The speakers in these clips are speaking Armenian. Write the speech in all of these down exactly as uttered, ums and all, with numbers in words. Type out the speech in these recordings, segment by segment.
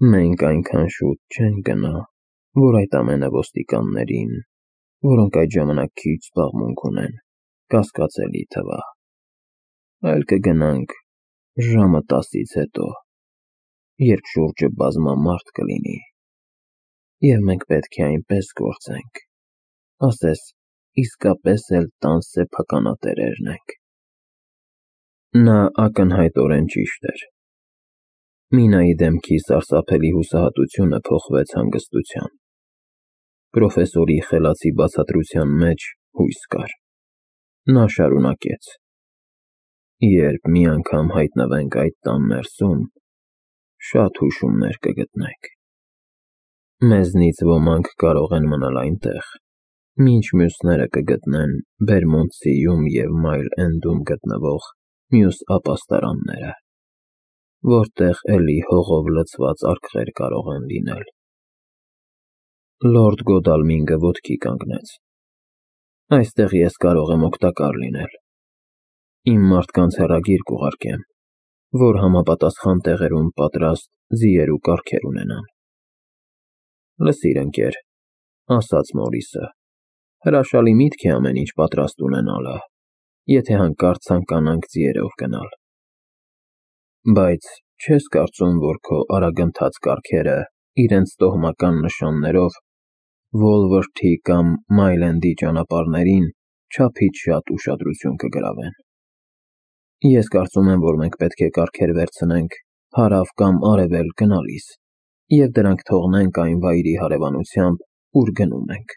Մենք այնքան շուտ չենք գնա, որ այդ ամենը ոստիկաններին, որոնք այդ ժամանակ քիչ զբաղմունք ունեն, կասկածելի թվա, այլ կգնանք ժամը տասից հետո, երբ շուրջը բազմամարդ կլինի, և մենք պետք է այնպես գործենք, ասես իսկապես էլ տան սեփականատերերն ենք։ Նա ակնհայտորեն ճիշտ էր։ Մինայի դեմքի սարսափելի հուսահատությունը փոխվեց հանգստության։ Պրոֆեսորի խելացի բացատրության մեջ հույս կար։ Նա շարունակեց. Երբ մի անգամ հայտնվենք այդ տան ներսում, շատ հուշումներ կգտնենք։ Մեզնից ոմանք կարող են մնալ այնտեղ, մինչ մյուսները կգտնեն Բերմոնտսիում և Մայլ Էնդում գտնվող մյուս ապաստարանները, որտեղ էլի հողով լցված արկղեր կարող են լինել։ Լորդ Գոդալմինգը ոտքի կանգնեց։ Այստեղ ես կարող եմ օգտակար լինել։ Իմ մարդկանց հեռագիր կուղարկեմ, որ համապատասխան տեղերում պատրաստ ձիեր ու կառքեր ունենան։ Լսիր, ընկեր, ասաց Մորիսը, հրաշալի միտք է ամեն ինչ պատրաստ ունենալը, եթե հանկարծ ցանկանանք ձիերով գնալ։ Բայց չես կարծում, որ քո արագընթաց կառքերը իրենց տոհմական նշաններով Վոլվորթի կամ Մայլենդի ճանապարհներին չափից շատ ուշադրություն կգրավեն։ Ես կարծում եմ, որ մենք պետք է կառքեր վերցնենք հարավ կամ արևելք գնալիս և դրանք թողնենք այն վայրի հարևանությամբ, ուր գնում ենք։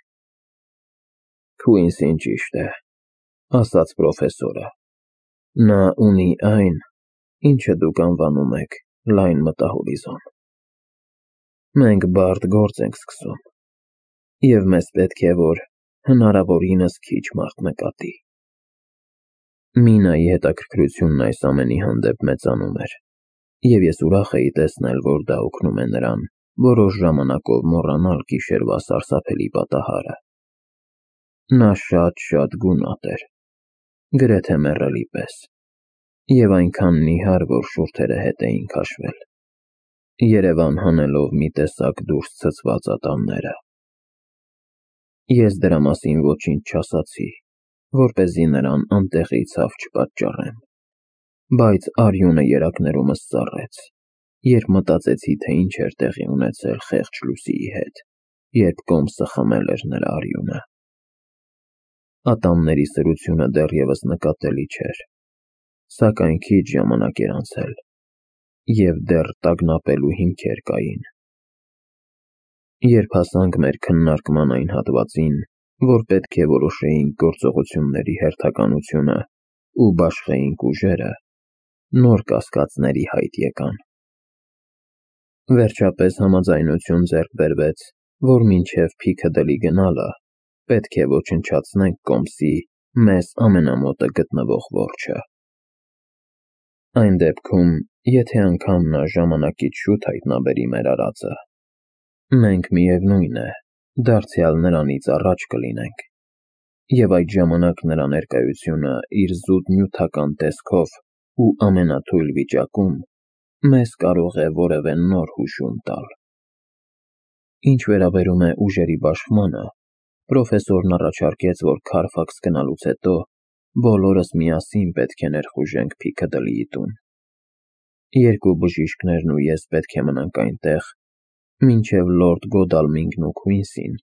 Քուինսին ճիշտ է, ասաց պրոֆեսորը։ Նա ունի այն, ինչը դուք անվանում եք լայն մտահորիզոն։ Մենք բարդ գործ ենք սկսում, և մեզ պետք է, որ հնարավորինս քիչ մարդ նկատի։ Մինայի հետաքրքրությունն այս ամենի հանդեպ մեծանում էր, և ես ուրախ էի տեսնել, որ դա օգնում է նրան որոշ ժամանակով մոռանալ գիշերվա սարսափելի պատահարը։ Նա շատ-շատ գունատ էր, գրեթե մեռելի պես, և այնքան նիհար, որ շուրթերը հետ էին քաշվել, երևան հանելով մի տեսակ դուրս ցցված ատամները։ Ես դրա մասին ոչինչ չասացի, որպեսզի նրան անտեղի ցավ չպատճառեմ, բայց արյունը երակներումս ծառեց, երբ մտածեցի, թե ինչ էր տեղի ունեցել խեղճ Լուսիի հետ, երբ կոմսը խմել էր նրա արյունը։ Ատամների սրությունը դեռևս նկատելի չէր, սակայն քիչ ժամանակ էր անցել, և դեռ տագնապելու հիմքեր կային։ Երբ հասանք մեր քննարկման այն հատվածին, որ պետք է որոշեինք գործողությունների հերթականությունը ու բաշխեինք ուժերը, նոր կասկածներ ի հայտ եկան։ Վերջապես համաձայնություն ձեռք բերվեց, որ մինչև Փիքադլի գնալը պետք է ոչնչացնենք կոմսի մեզ ամենամոտը գտնվող որջը։ Այն դեպքում, եթե անգամ նա ժամանակից շուտ հայտնաբերի մեր արածը, մենք, միևնույն է, դարձյալ նրանից առաջ կլինենք, և այդ ժամանակ նրա ներկայությունը իր զուտ նյութական տեսքով ու ամենաթույլ վիճակում մեզ կարող է որևէ նոր հուշում տալ։ Ինչ վերաբերում է ուժերի բաշխմանը, պրոֆեսորն առաջարկեց, որ Քարֆաքս գնալուց հետո բոլորս միասին պետք է ներխուժենք Փիքադլիի տուն։ Երկու բժիշկներն ու ես պետք է մնանք այնտեղ, մինչև լորդ Գոդալմինգն ու Քուինսին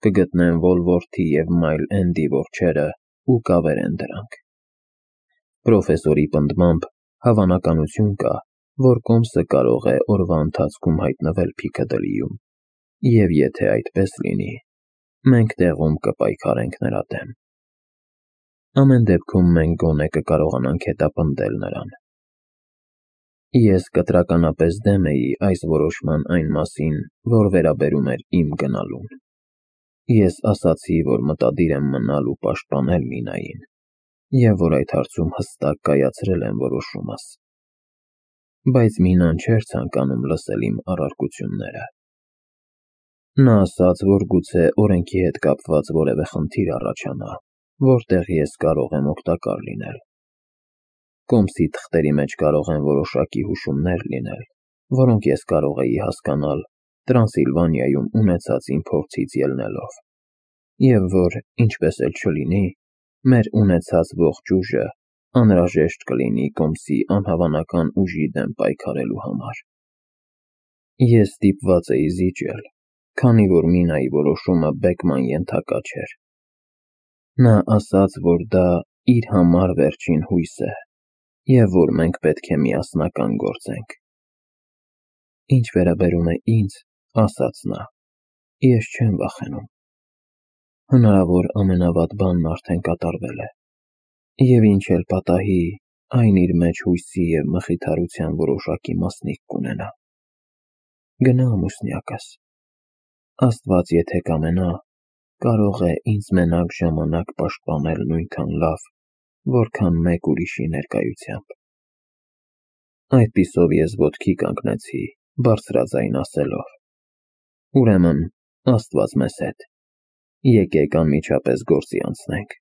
կգտնեն Վոլվորթի և Մայլ Էնդի որջերը ու կավերեն դրանք։ Պրոֆեսորի պնդմամբ հավանականություն կա, որ կոմսը կարող է օրվա ընթացքում հայտնվել Փիքադլիում, և եթե այդպես լինի, մենք տեղում կպայքարենք նրա դեմ։ Ամեն դեպքում մենք գոնե կկարողանանք հետապնդել նրան։ Ես կտրականապես դեմ էի այս որոշման այն մասին, որ վերաբերում էր իմ գնալուն։ Ես ասացի, որ մտադիր եմ մնալ ու պաշտպանել Մինային, և որ այդ հարցում հստակ կայացրել եմ որոշումս։ Բայց Մինան չէր ցանկանում լսել իմ առարկությունները։ Նա ասաց, որ գուցե օրենքի հետ կապված որևէ խնդիր առաջանա, որտեղ ես կարող եմ օգտակար լինել։ Կոմսի թղթերի մեջ կարող են որոշակի հուշումներ լինել, որոնք ես կարող էի հասկանալ Տրանսիլվանիայում ունեցած իմ փորձից ելնելով, և որ, ինչպես էլ չլինի, մեր ունեցած ողջ ուժը անհրաժեշտ կլինի կոմսի անհավանական ուժի դեմ պայքարելու համար։ Ես ստիպված էի զիջել, քանի որ Մինայի որոշումը բեկման ենթակա չէր։ Նա ասաց, որ դա իր համար վերջին հույսն է, և որ մենք պետք է միասնական գործենք։ Ինչ վերաբերում է ինձ, ասաց նա, ես չեմ վախենում։ Հնարավոր ամենավատ բանն արդեն կատարվել է, և ինչ էլ պատահի, այն իր մեջ հույսի և մխիթարության որոշակի մասնիկ կունենա։ Գնա ամուսնյակս, Աստված եթե կամենա, կարող է ինձ մենակ ժամանակ պաշտպանել նույնքան լավ, որքան մեկ ուրիշի ներկայությամբ։ Այդպիսով ես ոտքի կանգնեցի, բարձրաձայն ասելով. ուրեմն, Աստված մեզ հետ, եկեք անմիջապես գործի անցնենք,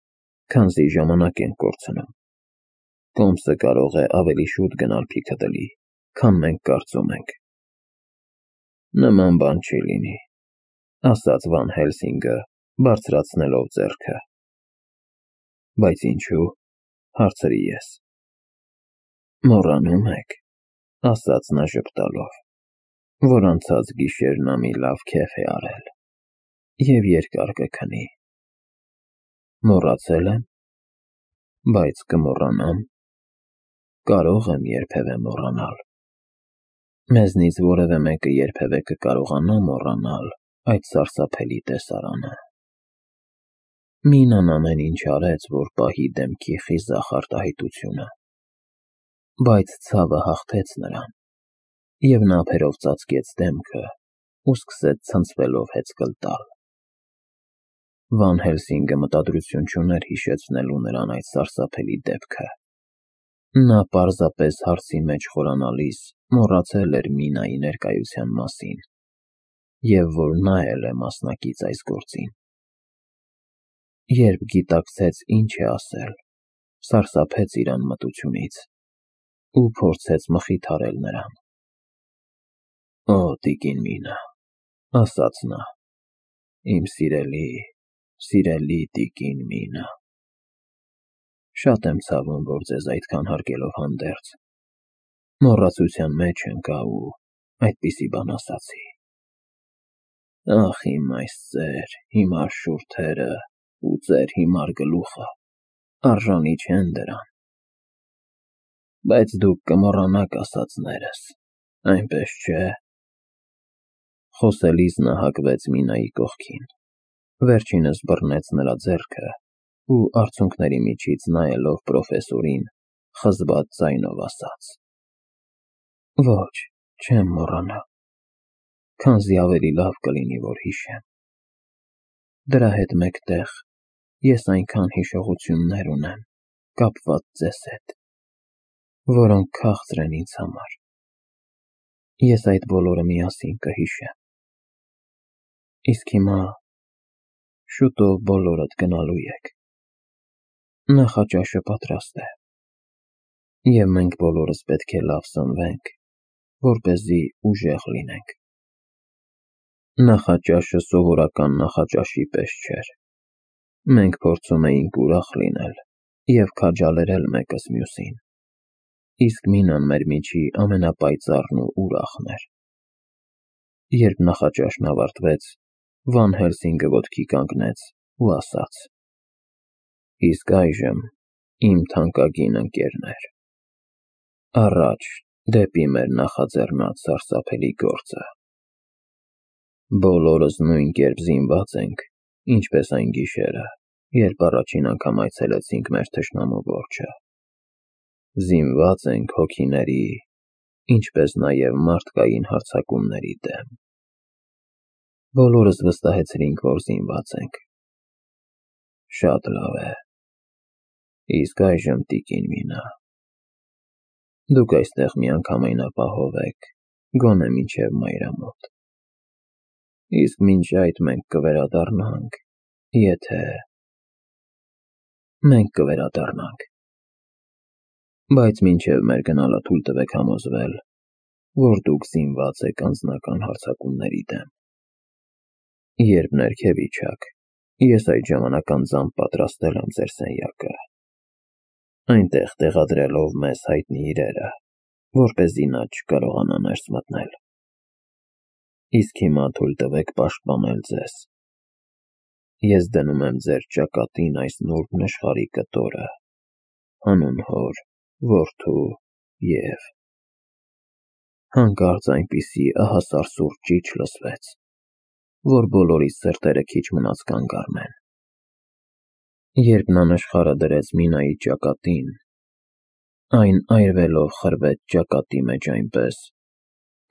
քանզի ժամանակ ենք կորցնում։ Կոմսը կարող է ավելի շուտ գնալ Փիքադլի, քան մենք կարծում ենք։ Նման բան չի լինի, ասաց Վան Հելսինգը, բարձրացնելով ձեռքը։ Բայց ինչու՞, հարցրի ես։ Մոռանում եք, ասաց նա ժպտալով, որ անցած գիշեր նա մի լավ քեֆ է արել, և երկար կքնի։ Մոռացել եմ, բայց կմոռանամ, կարող եմ երբևէ մոռանալ։ Մեզնից որևէ մեկը երբևէ կկարողանա մոռանալ այդ սարսափելի տեսարանը։ Մինան ամեն ինչ արեց, որ պահի դեմքի խիզախ արտահայտությունը, բայց ցավը հաղթեց նրան, և նա ափերով ծածկեց դեմքը ու սկսեց ցնցվելով հեծկլ տալ։ Վան Հելսինգը մտադրություն չուներ հիշեցնելու նրան այդ սարսափելի դեպքը։ Նա պարզապես հարցի մեջ խորանալիս մոռացել էր Մինայի ներկայության մասին, և որ նա էլ է մասնակից այս գործին։ Երբ գիտակցեց ինչ է ասել, սարսափեց իր անմտությունից ու փորձեց մխիթարել նրան։ Օ, տիկին Մինա, ասաց նա, իմ սիրելի, սիրելի տիկին Մինա, շատ եմ ցավում, որ ձեզ այդքան հարգելով հանդերձ, մոռացության մեջ ընկա ու այդպիսի բան ասացի։ Ախ, իմ այս ծեր, հիմար շուրթերը ու ծեր հիմար գլուխը արժանի չեն դրան։ Բայց դուք կմոռանաք ասածներս, այնպես չէ։ Խոսելիս նա հագվեց Մինայի կողքին, վերջինս բռնեց նրա ձեռքը ու արցունքների միջից նայելով պրոֆեսորին, խզված ձայնով ասաց. Ոչ, չեմ մոռանա, քանզի ավելի լավ կլինի, որ հիշեմ։ Դրա հետ մեկտեղ ես այնքան հիշողություններ ունեմ, կապված ձեզ հետ, որոնք քաղցր են ինձ համար։ Ես այդ բոլորը միասին կհիշեմ։ Իսկ հիմա շուտով բոլորդ գնալու եք։ Նախաճաշը պատրաստ է, և մենք բոլորս պետք է լավ սնվենք, որպեսզի ուժեղ լինենք։ Նախաճաշը սովորական նախաճաշի պես չէր։ Մենք փորձում էինք ուրախ լինել և քաջալերել մեկս մյուսին, իսկ Մինան մեր միջի ամենապայծառն ու ուրախն էր։ Երբ նախաճաշն ավարտվեց, Վան Հելսինգը ոտքի կանգնեց ու ասաց. Իսկ այժմ, իմ թանկագին ընկերներ, առաջ դեպի մեր նախաձեռնած սարսափելի գործը։ Բոլորս նույն կերպ զինված ենք, ինչպես այն գիշերը, երբ առաջին անգամ այցելեցինք մեր թշնամու որջը։ Զինված ենք հոգիների, ինչպես նաև մարդկային հարձակումների դեմ։ Բոլորս վստահեցրինք, որ զինված ենք։ Շատ լավ է։ Իսկ այժմ, տիկին Մինա, դուք այստեղ միանգամայն ապահով եք, գոնե մինչև մայրամոտ։ Իսկ մինչ այդ մենք կվերադառնանք, եթե… Մենք կվերադառնանք։ Բայց մինչև մեր գնալը թույլ տվեք համոզվել, որ դուք զինված եք անձնական հարձակումների դեմ։ Երբ ներքև իջաք, ես այդ ժամանակ անձամբ պատրաստել եմ ձեր սենյակը, այնտեղ տեղադրելով մեզ հայտնի իրերը, որպեսզի նա չկարողանա ներս մտնել։ Իսկ հիմա թույլ տվեք պաշտպանել ձեզ։ Ես դնում եմ ձեր ճակատին այս նուրբ նշխարի կտորը, հանուն հոր, որդու և… Հանկարծ այնպիսի ահասար սուր ճիչ լսվեց, որ բոլորի սրտերը քիչ մնաց կանգ առնեն։ Երբ նա նշխարը դրեց Մինայի ճակատին, այն այրվելով խրվեց ճակատի մեջ այնպես,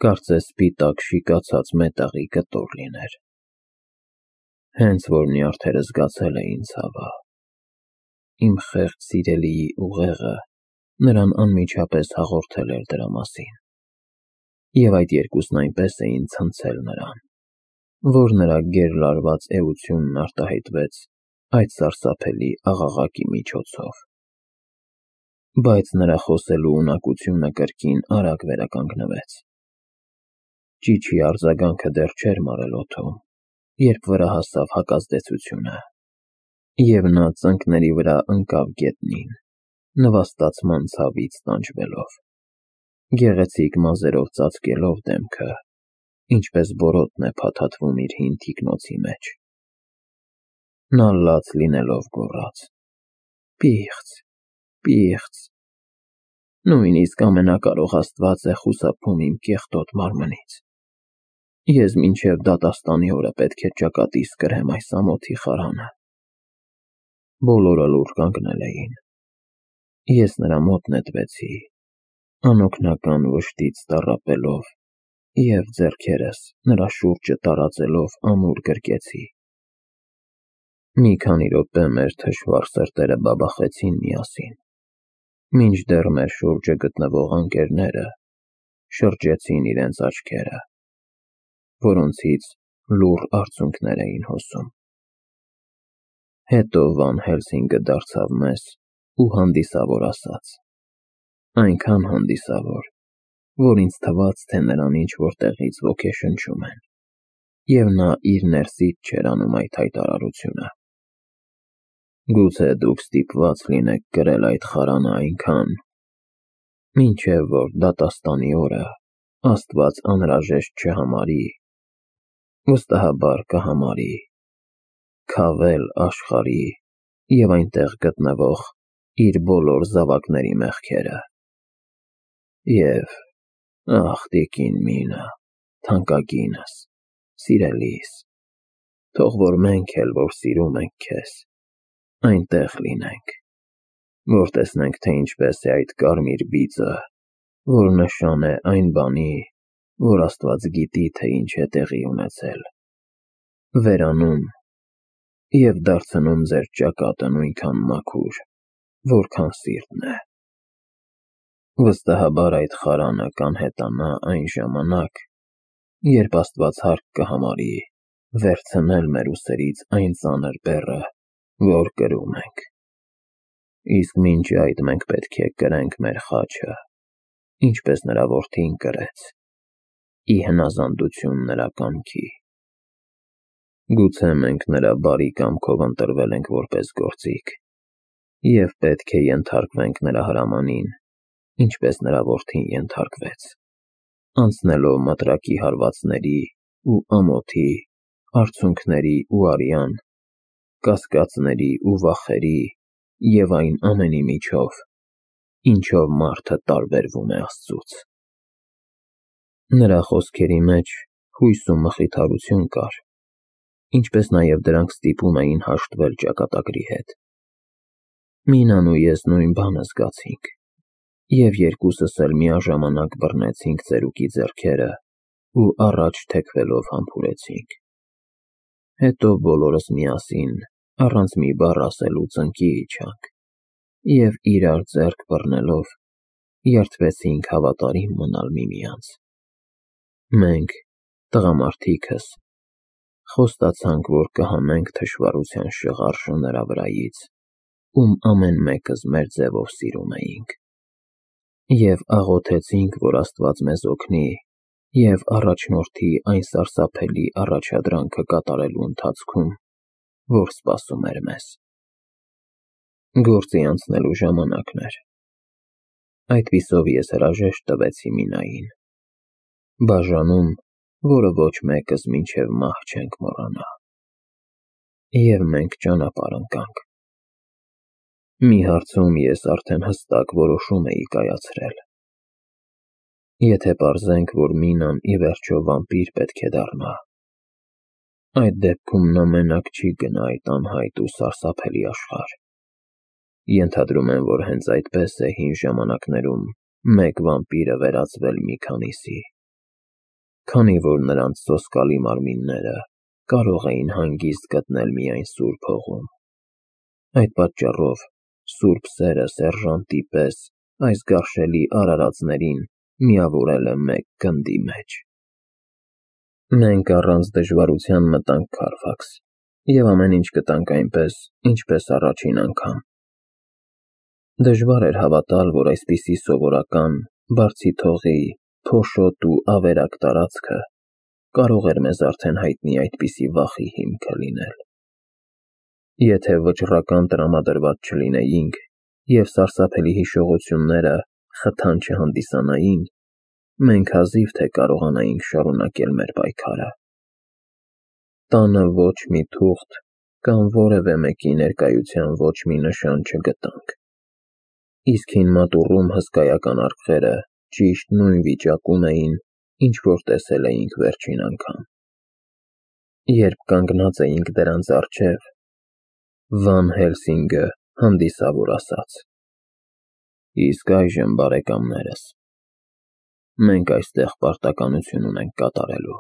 կարծես սպիտակ շիկացած մետաղի կտոր լիներ։ Հենց որ նյարդերը զգացել էին ցավը, իմ խեղճ սիրելիի ուղեղը նրան անմիջապես հաղորդել էր դրա մասին, և այդ երկուսն այնպես էին ցնցել նրան, որ նրա գերլարված էությունն արտահայտվեց այդ սարսափելի աղաղակի միջոցով։ Բայց նրա խոսելու ունակությունը կրկին արագ վերականգնվեց։ Ճիչի արձագանքը դեռ չէր մարել օդում, երբ վրա հասավ հակազդեցությունը, և նա ծնկների վրա ընկավ գետնին, նվաստացման ցավից տանջվելով, գեղեցիկ մազերով ծածկելով դեմքը, ինչպես բորոտն է փաթաթվում իր հին թիկնոցի մեջ։ Նա լաց լինելով գոռաց. «Պիղծ, պիղծ, նույնիսկ ամենակարող Աստված է խուսափում իմ կեղտոտ մարմնից։ Ես մինչև դատաստանի օրը պետք է ճակատիս կրեմ այս ամոթի խարանը»։ Բոլորը լուռ կանգնել էին։ Ես նրա մոտ նետվեցի, անօգնական վշտից տառապելով, և ձեռքերս նրա շուրջը տարածելով ամուր գրկեցի։ Մի քանի րոպե մեր թշվառ սրտերը բաբախեցին միասին, մինչդեռ մեր շուրջը գտնվող ընկերները շրջեցին իրենց աչքերը, որոնցից լուռ արցունքներ էին հոսում։ Հետո Վան Հելսինգը դարձավ մեզ ու հանդիսավոր ասաց, այնքան հանդիսավոր, որ ինձ թվաց, թե նրան ինչ-որ տեղից ոգեշնչում են, և նա իր ներսից չէր անում այդ հայտարարությունը։ Գուցե դուք ստիպված լինեք կրել այդ խարանը այնքան, մինչև որ դատաստանի օրը Աստված անհրաժեշտ չհամարի, վստահաբար կհամարի, քավել աշխարհի և այնտեղ գտնվող իր բոլոր զավակների մեղքերը։ Եվ, ախ, տիկին Մինա, թանկագինս, սիրելիս, թող որ մենք էլ, որ սիրում ենք քեզ, այնտեղ լինենք, որ տեսնենք, թե ինչպես է այդ կարմիր բիծը, որ նշան է այն բանի, որ Աստված գիտի, թե ինչ է տեղի ունեցել, վերանում և դարձնում ձեր ճակատը նույնքան մաքուր, որքան սիրտն է։ Վստահաբար այդ խարանը կանհետանա այն ժամանակ, երբ Աստված հարկ կհամարի վերցնել մեր ուսերից այն ծանր բեռը, որ կրում ենք։ Իսկ մինչ այդ մենք պետք է կրենք մեր խաչը, ինչպես նրա որդին կրեց, ի հնազանդություն նրա կամքի։ Գուցե մենք նրա բարի կամքով ընտրվել ենք որպես գործիք, և պետք է ենթարկվենք նրա հրամանին, ինչպես նրա որդին ենթարկվեց, անցնելով մտրակի հարվածների ու ամոթի, արցունքների ու արյան, կասկածների ու վախերի և այն ամենի միջով, ինչով մարդը տարբերվում է Աստծուց։ Նրա խոսքերի մեջ հույս ու մխիթարություն կար, ինչպես նաև դրանք ստիպում էին հաշտվել ճակատագրի հետ։ Մինան ու ես նույն բանը զգացինք, և երկուսս էլ միաժամանակ բռնեցինք ծերուկի ձեռքերը ու առաջ թեքվելով համբուրեցինք։ Հետո բոլորս միասին, առանց մի բառ ասելու ծնկի իջանք և իրար ձեռք բռնելով երդվեցինք հավատարիմ մնալ միմյանց։ Մենք, տղամարդիկս, խոստացանք, որ կհանենք թշվառության շղարշը նրա վրայից, ում ամեն մեկս մեր ձևով սիրում էինք։ Եվ աղոթեցինք, որ Աստված մեզ օգնի և առաջնորդի այն սարսափելի առաջադրանքը կատարելու ընթացքում, որ սպասում էր մեզ։ Գործի անցնելու ժամանակն էր։ Այդպիսով ես հրաժեշտ տվեցի Մինային, բաժանում, որը ոչ մեկս մինչև մահ չենք մոռանա։ Եվ մենք ճանապարհ ընկանք։ Մի հարցում ես արդեն հստակ որոշում էի կայացրել։ Եթե պարզենք, որ Մինան ի վերջո վամպիր պետք է դառնա, այդ դեպքում նա մենակ չի գնա այդ անհայտ ու սարսափելի աշխարհ։ Ենթադրում եմ, որ հենց այդպես է հին ժամանակներում մեկ վամպիրը վերածվել մի քանիսի, քանի որ նրանց սոսկալի մարմինները կարող էին հանգիստ գտնել միայն սուրբ հողում։ Այդ պատճառով սուրբ սերը սերժանտի պես այս գարշելի արարածներին միավորել է մեկ գնդի մեջ։ Մենք առանց դժվարության մտանք Քարֆաքս և ամեն ինչ գտանք այնպես, ինչպես առաջին անգամ։ Դժվար էր հավատալ, որ այսպիսի սովորական, բարձի թողի, փոշոտ ու ավերակ տարածքը կարող էր մեզ արդեն հայտնի այդպիսի վախի հիմքը լինել։ Եթե վճռական տրամադրված չլինեինք և սարսափելի հիշողությունները խթան չհանդիսանային, մենք հազիվ թե կարողանայինք շարունակել մեր պայքարը։ Տանը ոչ մի թուղթ կամ որևէ մեկի ներկայության ոչ մի նշան չգտանք, իսկ հին մատուռում հսկայական արկղերը ճիշտ նույն վիճակում էին, ինչ որ տեսել էինք վերջին անգամ։ Երբ կանգնած էինք դրանց առջև, Վան Հելսինգը հանդիսավոր ասաց. «Իսկ այժմ, բարեկամներս, մենք այստեղ պարտականություն ունենք կատարելու։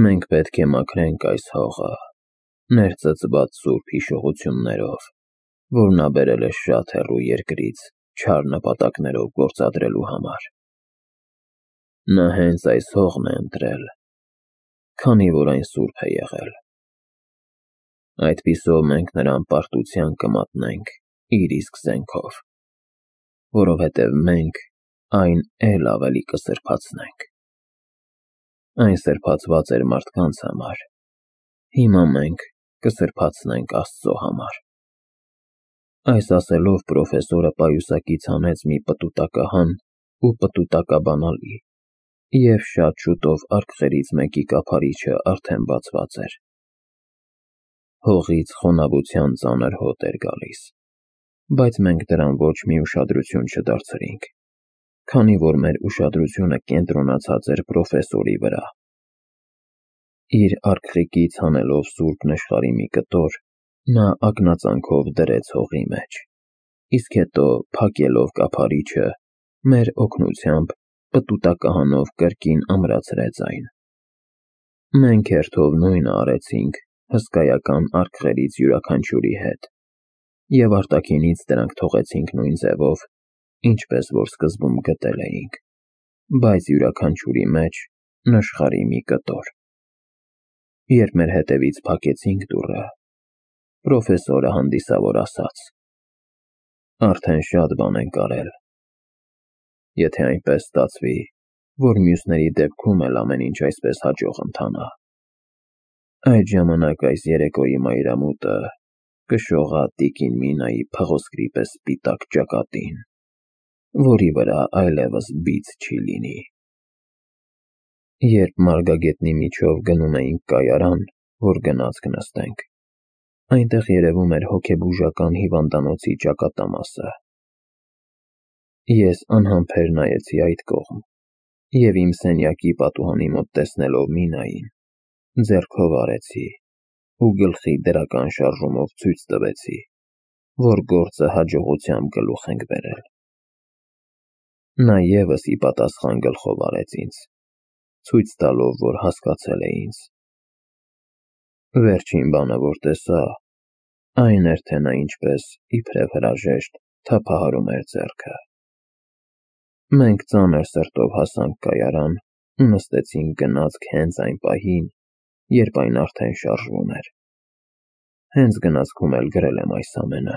Մենք պետք է մաքրենք այս հողը, ներծծված սուրբ հիշողություններով, որ նա բերել է շատ հեռու երկրից չար նպատակներով գործադրելու համար։ Նա հենց այս հողն է ընտրել, քանի որ այն սուրբ է եղել։ Այդպիսով մենք նրան պարտության կմատնենք իր իսկ զենքով, որովհետև մենք այն էլ ավելի կսրբացնենք։ Այն սրբացված էր մարդկանց համար, հիմա մենք կսրբացնենք Աստծո համար»։ Այս ասելով պրոֆեսորը պայուսակից հանեց մի պտուտակահան ու պտուտակաբանալի, և շատ շուտով արկղերից մեկի կափարիչը արդեն բացված էր։ Հողից խոնավության ծանր հոտ էր գալիս, բայց մենք դրան ոչ մի ուշադրություն չդարձրինք, քանի որ մեր ուշադրությունը կենտրոնացած էր պրոֆեսորի վրա։ Իր արկղիկից հանելով սուրբ նշխարի մի կտոր, նա ակնածանքով դրեց հողի մեջ, իսկ հետո փակելով կափարիչը, մեր օգնությամբ պտուտակահանով կրկին ամրացրեց այն։ Մենք հերթով նույնը արեցինք հսկայական արկղերից յուրաքանչյուրի հետ, և արտաքինից դրանք թողեցինք նույն ձևով, ինչպես որ սկզբում գտել էինք, բայց յուրաքանչյուրի մեջ նշխարի մի կտոր։ Երբ մեր հետևից փակեցինք դուռը, պրոֆեսորը հանդիսավոր ասաց. «Արդեն շատ բան ենք արել։ Եթե այնպես ստացվի, որ մյուսների դեպքում էլ ամեն ինչ այսպես հաջող ընթանա, այդ ժամանակ այս երեկոյի մայրամուտը կշողա տիկին Մինայի փղոսկրի պես սպիտակ ճակատին, որի վրա այլևս բիծ չի լինի»։ Երբ մարգագետնի միջով գնում էինք կայարան, որ գնացք նստենք, այնտեղ երևում էր հոգեբուժական հիվանդանոցի ճակատամասը։ Ես անհամբեր նայեցի այդ կողմ և իմ սենյակի պատուհանի մոտ տեսնելով Մինային, ձեռքով արեցի ու գլխի դրական շարժումով ցույց տվեցի, որ գործը հաջողությամբ գլուխ ենք բերել։ Նա ևս ի պատասխան գլխով արեց ինձ, ցույց տալով, որ հասկացել է ինձ։ Վերջին բանը, որ տեսա, այն էր, թե նա ինչպես իբրև հրաժեշտ թափահարում էր ձեռքը։ Մենք ծանր սրտով հասանք կայարան ու նստեցինք գնացք հենց այն պահին, երբ այն արդեն շարժվում էր։ Հենց գնացքում էլ գրել եմ այս ամենը։